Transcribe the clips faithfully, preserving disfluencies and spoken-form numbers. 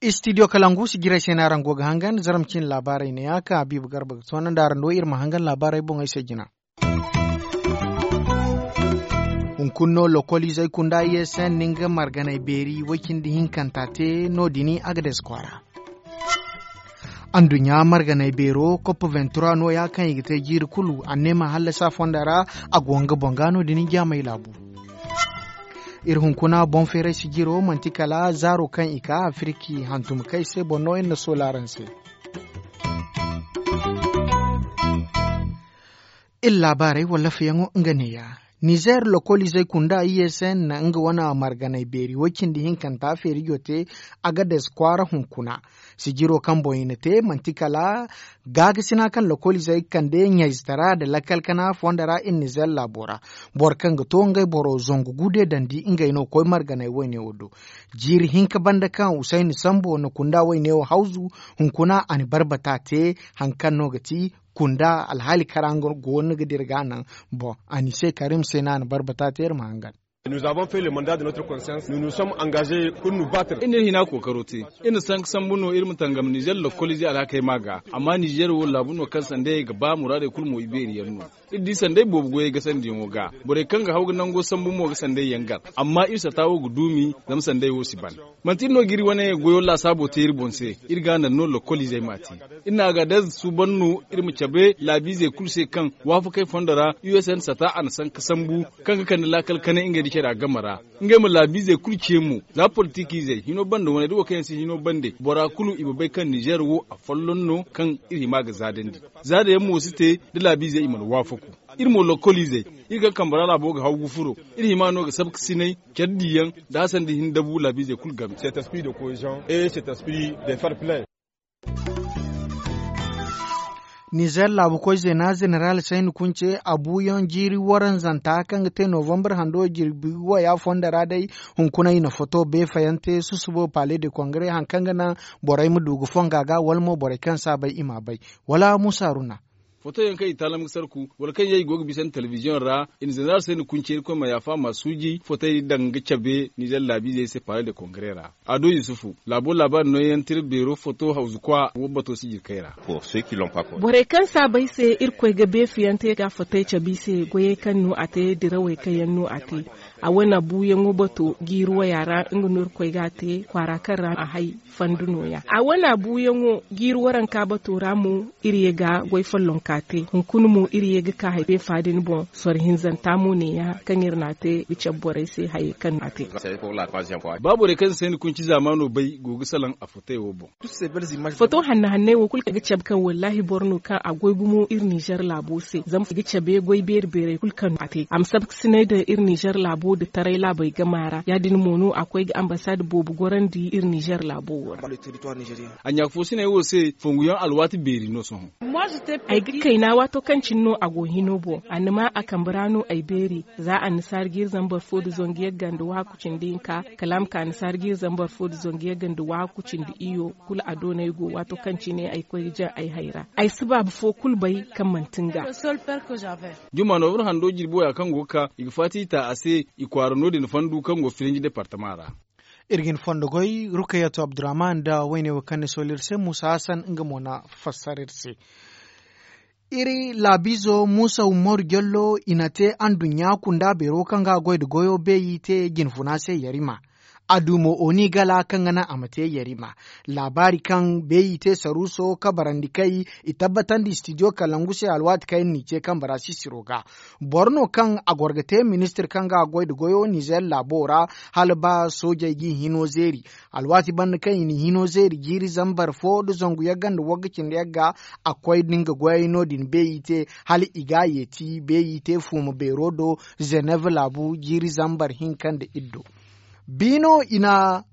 Istidiyo kalangu si jiray se no araŋ go ga hangan zaram cine laabaarey ne ya kaŋ habiibu garba ga toonandi araŋ do iri ma hangan laabaarey boŋey se jina. Hunkuna no lokoliizey kunda i s n na nga marganey beeri way- cindi hinkanta te no- din agades kwaara. Anduɲɲa marganey beero kopp vingt trois no- ya kaŋ i ga te jiiri kulu a ne ma hallasa fonda ra. A go nga boŋ ga no- din jaamey laabu. Iri hunkuna boŋ feeray sijiro manti kala zaaro kaŋ i ka afirki hantum kay se boŋ no iri na soola araŋ se. Iri laabaarey wala lafayaŋo nga neeya. Nizer lokoliizey kunda i s n na nga wane marganey beeri way- cindi hinkanta feerijo te. Agades kwaara hunkuna sijiro kaŋ boŋ i na te manti kala gaagasina kaŋ lokoliizey ga kande ɲayzatara nda lakkal kana fonda ra iri nizer laabo ra. Boro kaŋ ga to ngey boro zangu gu de dandi ngey no koy marganey wayne wo do. Jiiri hinka banda kaŋ husayni sambo na kunda wayne wo hawzu hunkuna a na barbata te. Hari kaŋ no ga ti kunda alhaali kara nga go no ga dira ga naŋ. Boŋ a ni se karim se no a na barbata te iri ma hangan. Iri n'iri hina kookaro te. Iri na sanka sambu no iri ma tangam nizer lokoliizey alhakey ma ga. Amma nizer wo laabu no kaŋ sanday ga ba muraadey kulu mo ibeeri yaŋ no. Iri di sanday boobo goyey ga sandiyaŋo ga. Borey kaŋ ga haw ga nango sambu mo ga sanday yaŋ gar. Amma iri sata wo ga duumi zama sanday wo si ban. Manti iri no ga iri wane goyo laasaabo te iri boŋ se. Iri ga naŋ no lokoliizey m'a te. Iri na a ga day suuban no iri ma cabe laabiizey kulu se kaŋ waafakey fondo ra u s n sata a na sanka sambu kaŋ ga kande laakal kanay ngey nda care a game ra. Ngey ma laabiizey kulu ce mo za politikiizey hino bande wane da wo kaŋ yaŋ si hino bande bora kulu i ma bay kaŋ nizer wo afolloŋ no kaŋ iri hima ga zaadandi. Zaada yaŋ mo si te da laabiizey i mana waafaku. Iri mo lokoliizey iri kaŋ kambe ra laabo ga haw ga furo. Iri hima no ga sabkasinay care diyaŋ da hasandi hin dabu laabiizey kulu game. Nizer laabu koy zeena zeneral sayni kunce a buuyaŋ jiiri waranzanta kaŋ ga te novambar hando jirbi waya fondo ra day. Hunkuna i na foto beefayante susubo pale de kongre hari kaŋ ga naŋ borey ma du ga fonga ga wala mo borey kaŋ si a bay i m'a bay. Wala musa runa. Foto yaŋ kaŋ i taalam ga sarku wala kaŋ yaŋ i go ga bisa nda telebiziyoŋ ra. I na zeneral sayni kunce irkoy ma yaafa ma suuji fotey daŋ ga cabe nizer laabiizey se pale de kongre ra. Ado yusufu laabo laabaari nooyaŋ tira beero foto hawzu kwa wo bato si jirkey ra. Borey kaŋ si a bay se irkoy ga beefiyante ga fotey cabe i se goyey kaŋ no a te dirawey kaŋ yaŋ no a te. A wane buuyaŋo bato jiiri waya ra nga no irkoy ga a te kwaara kaŋ ra a hay fandu nooya a wane buuyaŋo jiiri waranka bato ra mo. Iri ye ga goy follonka te hunkuna mo iri ye ga ka hay beefa din boŋ soro hinzanta mo neeya kaŋ iri n'a te ga cabe borey se hayey kaŋ no a te. Ba borey kaŋ si sayni kunci zaamaano bay go ga salaŋ a fotey wo boŋ. Foto hanna hanney wo kulu kaŋ ga cabe kaŋ wallaahi boro no kaŋ a goy gumo iri nizer laabo se zama i ga cabe goy beeri beerey kulu kaŋ no a te a ma sabkasinay nda iri nizer laabo nda taray laabey gama ra ya- din mo no a koy ga ambasad boobo gorandi iri nizer laabo wo ra. A ɲaafoosiney wo se fonguyaŋ alwaati beeri no sohõ. Ay ga kayna waato kaŋ cine no a go hino boŋ a na ma a kambe ra no ay beeri. Za annasaara jiiri zambar fo nda zangu yagga nda waaku cindi hinka kala a ma ka annasaara jiiri zambar fo nda zangu yagga nda waaku cindi iyo. Kulu a doonay go waato kaŋ cine ay koy ga jaŋ ay hayra ay si baabu fo kulu bay kaŋ manti nga. Juma noobur hando jirbi waya kaŋ go ga ka i ga faati i ta a se. I kwaara no- din fandu kaŋ go filinji departama ra. Iri ga ni fondo goy rukayatu abdurrahman nda wayne wo kaŋ ni sooli iri se muusa hasan nga mo na fassara iri se. Iri laabiizo muusa umaru jallo i na te anduɲɲa kunda beero kaŋ ga goy nda goyo beeyi te jinfuna se yarima. A du mo oni gala kaŋ ga naŋ a ma te yarima. Laabaari kaŋ beeyi te saruuso kabarandi kay i tabbatandi studio kalangu se alwaati kaŋ iri n'i ce kaŋ bara sisiro ga. Boro no kaŋ a goro ga te ministir kaŋ ga goy nda goyo nizer laabo ra. Hala ba soojey g'i hino zeeri alwaati banda kaŋ i n'i hino zeeri jiiri zambar fo nda zangu yagga nda wagga cindi yagga. A koy nda nga goyey no- din beeyi te hala i ga a yeeti beeyi te fuuma beero do. Zenev laabu jiiri zambar hinka nda iddo. Biino i na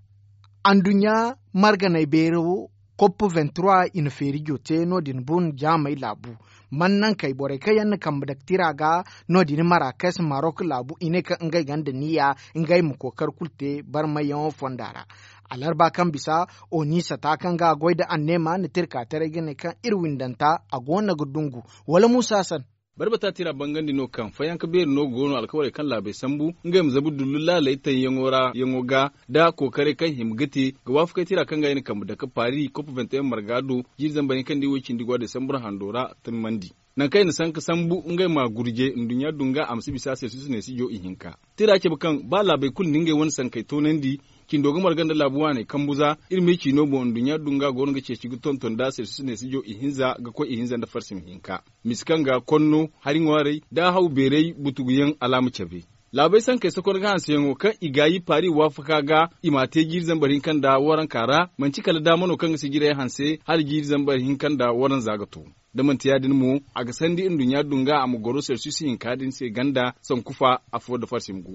anduɲɲa marganey beero kopp vingt trois i na feerijo te no- din bun jaamey laabu. Man nankey borey kaŋ yaŋ na kambe dake tira ga no- din marakes marok laabu i ne kaŋ ngey gonda niya ngey ma kookar kulu te barmayyaŋo fonda ra. Alarba kaŋ bisa, oni sata kaŋ ga a goy nda anneema na tirka taray ga ne kaŋ iri windanta a go no ga dungu. Wala muusa hasan. Barbata tira bangandi no kaŋ fayanka beeri no go no alkawarey kaŋ laabey sambu ngey ma zabu dullu laaley taŋ yaŋo ra yaŋo ga, nda kookaray kaŋ hima ga te ga waafakay tira kaŋ ga i na kambe dake paari kop venti en marga do jiiri zambar hinka nda i wo cindi go a desambur hando ra. Tammandi nangu kaŋ i na sanka sambu ngey ma gurje nduɲɲa dunga a ma si bisa selsus neesijo ihinka. Tira cabe kaŋ ba laabey kulu na ngey wane sankey toonandi, cindo ga marga nda laabu waaney kambu za. Iri ma i ci no boŋ nduɲɲa dunga go no ga ceeci ga tonton nda selsus neesijo ihinza ga koy ihinza nda farsima hinka. Misi kaŋ ga konno hari ŋwaarey nda haw beeray butuguyaŋ alaama cabe. Laabey sankey sokon ga hanseyaŋo kaŋ i gaayi paari waafaka ga i m'a te jiiri zambar hinka nda waranka ra. Manti kala daama no kaŋ ga sijirey hanse hala jiiri zambar hinka nda waranza ga to. Da manti ya- din mo, a ga sandi nduɲɲa dunga a ma goro selsus hinka din se ganda sanku fa afo nda farsim gu.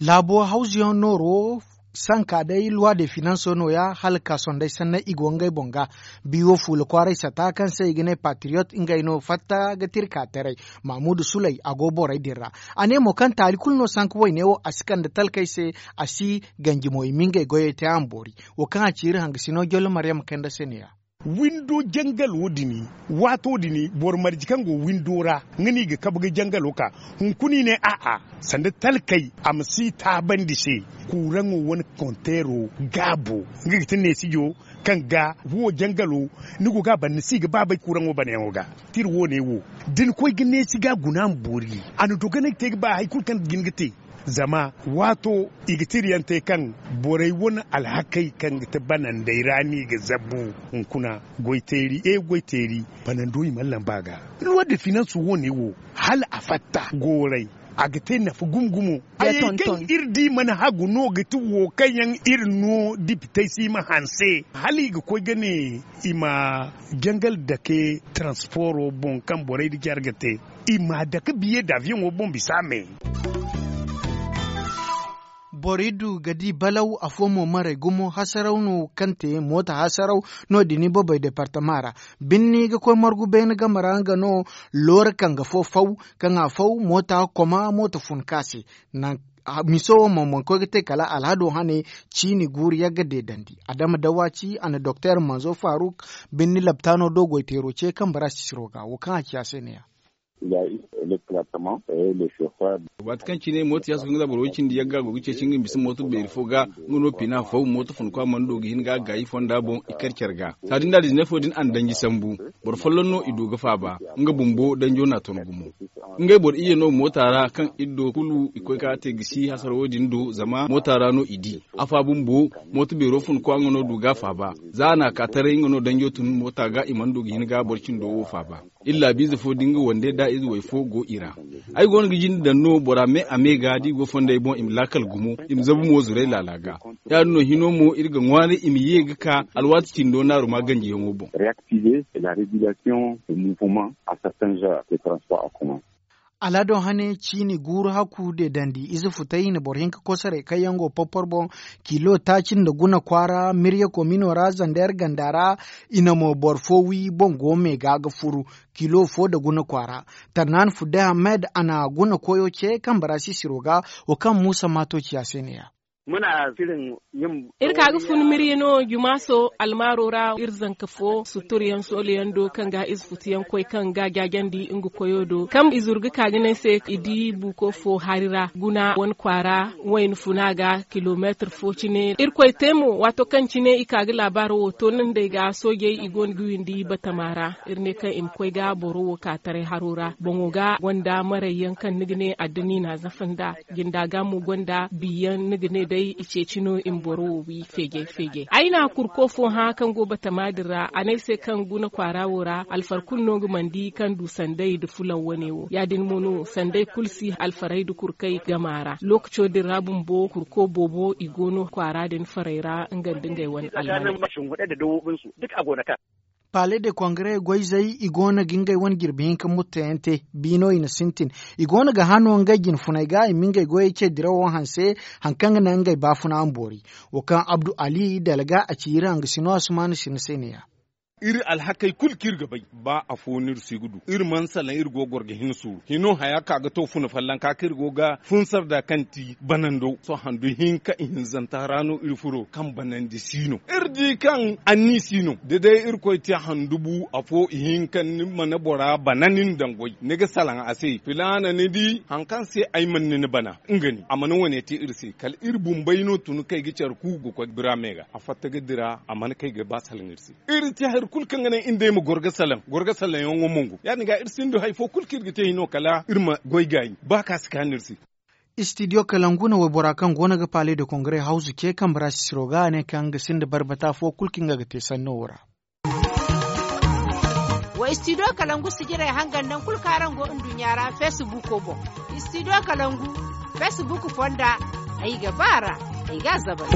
Laabo hawzuyaŋ nooro sanka day luwa de finanso nooya hala ka sondey sanney i go ngey boŋ ga. Biiwo fuula kwaaray sata kaŋ se i ga ne patriyot ngey no fatta ga tirka taray. Mamudu suley a go borey din ra. A ne mo kaŋ taali kulu no sanka wayne wo a si kande talkey se. A si ganji mo i ma ngey goyey te a ma boori. Wo kaŋ a ci iri hangasino jollo maryam kayna se ne ya. Windo jangalo din, waato din boro marje kaŋ go windo ra, nga no i ga kabe ga jangalo ka. Hunkuna i ne a'a, sanda talkey a ma si taabandi se. Kuuraŋo wane konteero gaabo, nga ga ti neesijo kaŋ ga wo jangalo. Ni go ga a ban ni si ga ba bay kuuraŋo banayaŋo ga. Tira wo ne wo, da ni koy ga neesi ga guna ma boori. A na dogonay te ga ba hari kulu kaŋ ga hin ga te. Zama waato i ga tira yaŋ te kaŋ borey wane alhakey kaŋ ga ti banandey ra no i ga zabbu. Hunkuna goy teeri e goy teeri, banando i mana lamba a ga. Luwa de finanso wo ne wo, hala a fatta gooray, a ga te nafa gumo gumo. Hayey kaŋ iri di mana hagu no ga ti wo kaŋ yaŋ iri no dipitey si ma hanse hala i ga koy ga ne i ma jangal dake transporo boŋ kaŋ borey nda care ga te. I m'a dake biye da aviyoŋo boŋ bisa me. Boro iddu ga di balaw afo mo maray gumo hasaraw no kaŋ te moota hasaraw. No- din ibobey departama ra birni ga koy margu beene game ra nga no. Loora kaŋ ga fo faw kaŋ a faw moota koma moota fun ka se. Miso wo mo mana koy ga te kala alhado hane ciini guuru yagga deedandi adama dawaci a na doktor manzo faruk. Birni laptaano do goyteero ce kaŋ bara sisiro ga wo kaŋ a ci a se ne- ya. Waati kaŋ cine mooto yaasu kaŋ ga za boro way cindi yagga go ga ceeci nga ma bisa mooto beeri fo ga. Nga no pina faw mooto fun kwa mana do ga hin ga a gaayi fonda boŋ i kar care ga. Saadin da dizinay fo din a na danji sambu. Boro folloŋ no i do ga faaba nga bumbo danjo na ton gumo. Ngey boro iyye no moota ra kaŋ iri do kulu i koy ka te gisi hasara wo- din do zama moota ra no i di. Afa bumbo mooto beero fun kwa nga no du ga faaba. Za a na a ka taray nga no danjo tun moota ga i mana du ga hin ga boro cindo wo faaba. Iri laabiize fo da nga wande da ize way fo go i ra. Ay go no ga jinde daŋ no bora me a me ga da i go fondey boŋ i ma laakal gumo i ma zabu mo zuray laala ga. Ya- din no hino mo iri ga ŋwaaray i ma ye ga ka alwaati cindo naaru ma ganjiyaŋo boŋ. Alhado hane ciini guuru hakku deedandi ize futay i na boro hinka kosoray kaŋ yaŋ go porpor boŋ. Kilo taaci nda guna kwaara mirya komino ra zander ganda ra. I na mo boro fo wi boŋ go me ga ga furu kilo fo nda guna kwaara. Tarnaani fudde hamed a na guna koyo ce kaŋ bara sisiro ga. Wo kaŋ muusa maato ciya se ne- ya. Iri ka ga fun mirya no jumaaso almaaro ra iri zanka fo suturyaŋ soolayaŋ do kaŋ ga ize futuyaŋ koy kaŋ ga jaajandi nga koyo do kaŋ i zuru ga ka ga ne ay se i di buuko fo hari ra guna wane kwaara wayna funa ga kilomeetir fo cine. Irkoy te mo waato kaŋ cine i ka ga laabaaro wo to nandey ga soojey i go no ga windi batama ra. Iri ne kaŋ i ma koy ga boro wo ka taray haro ra boŋo ga gonda marayyaŋ kaŋ ni ga ne addini na zafa nda jinda ga mo gonda biyaŋ ni ga ne day i ceeci no i ma boro wo wi feejay feejay ay na kurko fo hã kaŋ go batama din ra a ne ay se kaŋ guna kwaara wo ra alfar kulu no nga mana di kaŋ du sanday nda fulaŋ wane wo ya- din mo no sanday kulu si alfaray nda kurkay gama ra lookaco din ra bumbo kurko boobo i go no kwaara din faray ra nga nda ngey wane almaney. Palais de congrès goyzey i go no ga ngey wane jirbi hinka mutteyaŋ te biino i na sintin. I go no ga hano ngey jine funey ga i ma ngey goyey ce dirawo hanse hari kaŋ ga naŋ ngey baafuna ma boori. Wo kaŋ abdu ali dalga a ci iri hangasino asumaana sina se ne- ya. Iri alhakey kulu kaŋ iri ga bay, ba afo no iri si ga du. Iri mana salaŋ iri go ga goro ga hin suuru hino haya ka ga to funa fallanka kaŋ iri go ga funsar da kaŋ ti banando sohõ handu hinka ihinzanta ra no iri furo kaŋ banandi si no. Iri di kaŋ anni si no da day irkoy te handu bu afo ihinka ni mana bora bana nin daŋ goy ni ga salaŋ a se filaana ni di hari kaŋ se ay mana ni bana. Nga ne a mana wane te iri se kala iri bumbey no tun kay ga care ku ga koy bira me ga a fatta ga dira a mana kay ga ba salaŋ iri se. Iri te hari kulu kaŋ ga naŋ iri nd'ey ma goro ga salaŋ goro ga salaŋ yaŋo mongo ya- din ga iri sinda hari fo kulu kaŋ iri ga te hino kala iri ma goy gaayi ba ka si kaanu iri se. Istidiyo kalangu na waybora kaŋ go no ga pale de kongare hawzu ce kambe ra sisiro ga a ne kaŋ nga sinda barbata fo kulu kaŋ nga ga te sanno wo ra. Wa istidiyo kalangu sijirey hangan naŋ kulu kaŋ araŋ go nduɲɲa ra feesibuuko boŋ. Istidiyo kalangu feesibuuk fonda ay ga ba a ra ay ga a zabal.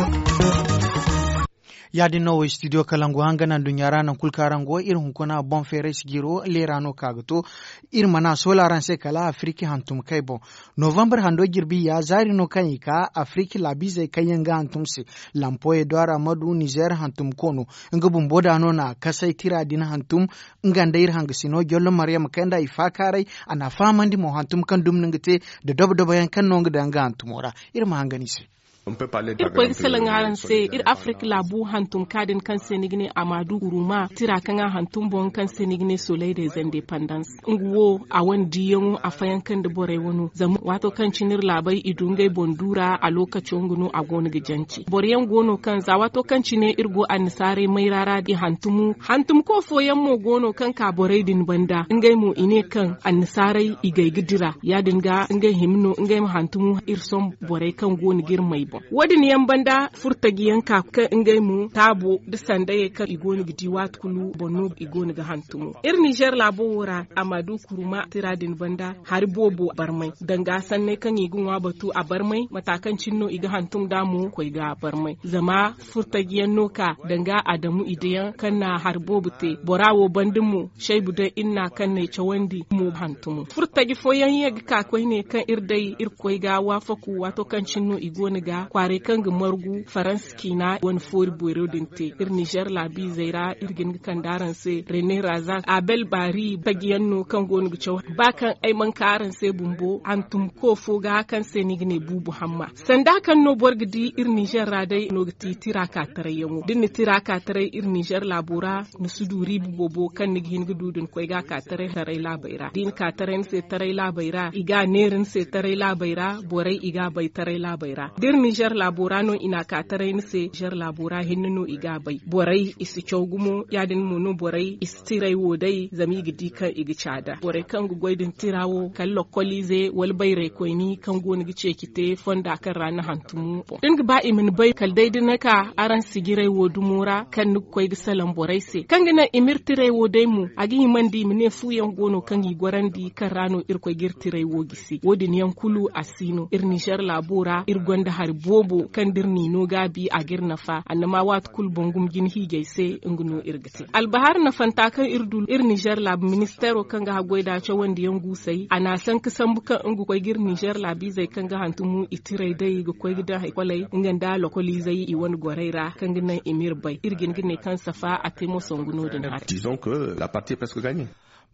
Ya- din no wo istidiyo kalangu hangan nduɲɲa ra naŋ kulu kaŋ araŋ go iri hunkuna boŋ feeray sijiro leera no ka ga to. Iri mana soola araŋ se kala afiriki hantum kay boŋ. Novambar hando jirbi ya zaari no kaŋ i ka afiriki laabiizey kaŋ yaŋ ga hantum se. Lampoye do aramadu nizer hantum koono nga bumbo da no na kasay tira din hantum. Nga nda iri hangasino jollo maryam kay nda i faakaaray a na a fahamandi mo hantum kaŋ dumi no nga te da dobo dobo yaŋ kaŋ no nga daŋ nga hantumo ra. Iri ma hangan i se. Iri koy ga salaŋ araŋ se iri afirika laabu hantum ka din kaŋ se ni ga ne a ma du guruma tira kaŋ a hantum boŋ kaŋ se ni ga ne soleil des indépendance. Nga wo a wane diiyaŋo a fayanka nda borey wano zama waato kaŋ cine iri laabey i du ngey boŋ du ra a lookaco nga no a go no ga jance boro yaŋ go no kaŋ za waato kaŋ cine iri go annasaarey mayra ra i hantumu hantumko fooyaŋ mo go no kaŋ ka borey din banda ngey mo i ne kaŋ annasaarey i gay ga dira ya- din ga ngey hima no ngey ma hantumu iri sohõ borey kaŋ go no ga iri may boŋ. Wo- din yaŋ banda furtaji yaŋ ka kaŋ ngey mo taabo nda sandayey kaŋ i go no ga di waati kulu boŋ no i go no ga hantumo iri nizer laabo wo ra a ma du kuruma tira din banda hari boobo barmay danga sanney kaŋ i ga ŋwa batu a barmay mata kaŋ cine no i ga hantum nd'a mo koy ga barmay zama furtaji yaŋ no ka danga adamu i dayaŋ kaŋ na hari boobo te bora wo banda mo shaybu day iri na kaŋ no ay cawandi mo hantumo furtaji fooyaŋ ye ga ka koyne kaŋ iri day iri koy ga waafaku waato kaŋ cine no i go no ga kwaaray kaŋ ga margu faransa ciina wane foori boyro din te iri nizer laabiizey ra iri ga hin ga kande araŋ se rene raza abel baari taji yaŋ no kaŋ go no ga caw ba kaŋ ay mana ka araŋ se bumbo hantum ko fo ga kaŋ se ni ga ne buubu hamma sanda kaŋ no boro ga di iri nizer ra day no ga ti tira ka taray yaŋo da ni na tira ka taray iri nizer laabo ra ni si du riiba boobo kaŋ ni ga hin ga du da ni koy ga ka taray taray laabey ra da i na ka taray ni se taray laabey ra i ga a neera ni se taray laabey ra borey i ga a bay taray laabey ra da iri nizer laabo ra no i na a ka taray ni se nizer laabo ra hinne no i ga a bay borey i si caw gumo ya- din mo no borey i si tiray wo day zama i ga di kaŋ i ga caada borey kaŋ ga goy din tira wo kala lokoliize wala bayray koyni kaŋ go no ga ceeci te fonda kaŋ ra ni hantumu boŋ da ni ga ba i ma ni bay kala day da ni ka araŋ sijiray wo dumo ra kaŋ ni ga koy ga salaŋ borey se kaŋ ga naŋ i ma iri tiray wo day mo a ga himandi i ma ne fu yaŋ go no kaŋ i gorandi kaŋ ra no irkoy ga iri tiray wo gisi wo- din yaŋ kulu a si no iri nizer laabo ra iri gonda hari boobo kaŋ da iri n'i no gaabi a ga iri nafa annama waati kulu boŋ gumo jina hiijay se nga no iri ga te albahar nafanta kaŋ iri du iri nizer laabu ministeero kaŋ ga haggoy da cawandi yaŋ guusay a na a sanka sambu kaŋ nga koy ga iri nizer laabiizey kaŋ ga hantumu i tiray day ga koy ga daŋ haykoley nga nda lokoliizey i wane gorey ra kaŋ ga naŋ i ma iri bay iri ga hin ga ne kaŋ safa a te mo songu no- din haray.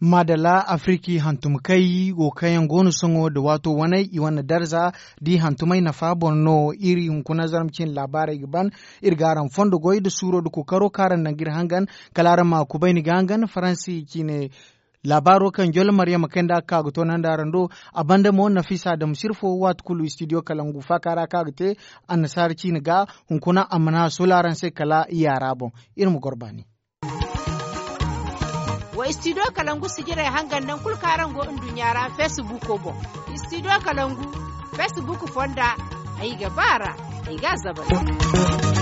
Maadalla afiriki hantum kay wo kaŋ yaŋ go no sohõ nda waato waney i wane darza da i hantumey nafa boŋ no iri hunkuna zarma cine laabaarey ga ban. Iri ga araŋ fondo goy nda suuro nda kookaro kaŋ araŋ naŋ ga iri hangan kala araŋ ma kubayni ga hangan faransi cine. Laabaaro kaŋ jollo maryama kay nda a ga ka ga toonandi araŋ do a banda mo nafisa dam sirfo waati kulu istidiyo kalangu faaka ra kaŋ a ga te annasaara ciine ga hunkuna a mana a soola araŋ se kala yaara boŋ. Iri ma goro baani. Wa istidiyo kalangu sijirey hangan naŋ kulu kaŋ araŋ go nduɲɲa ra feesibuuko boŋ. Istidiyo kalangu feesibuuko fonda ay ga ba a ra ay ga a zabal.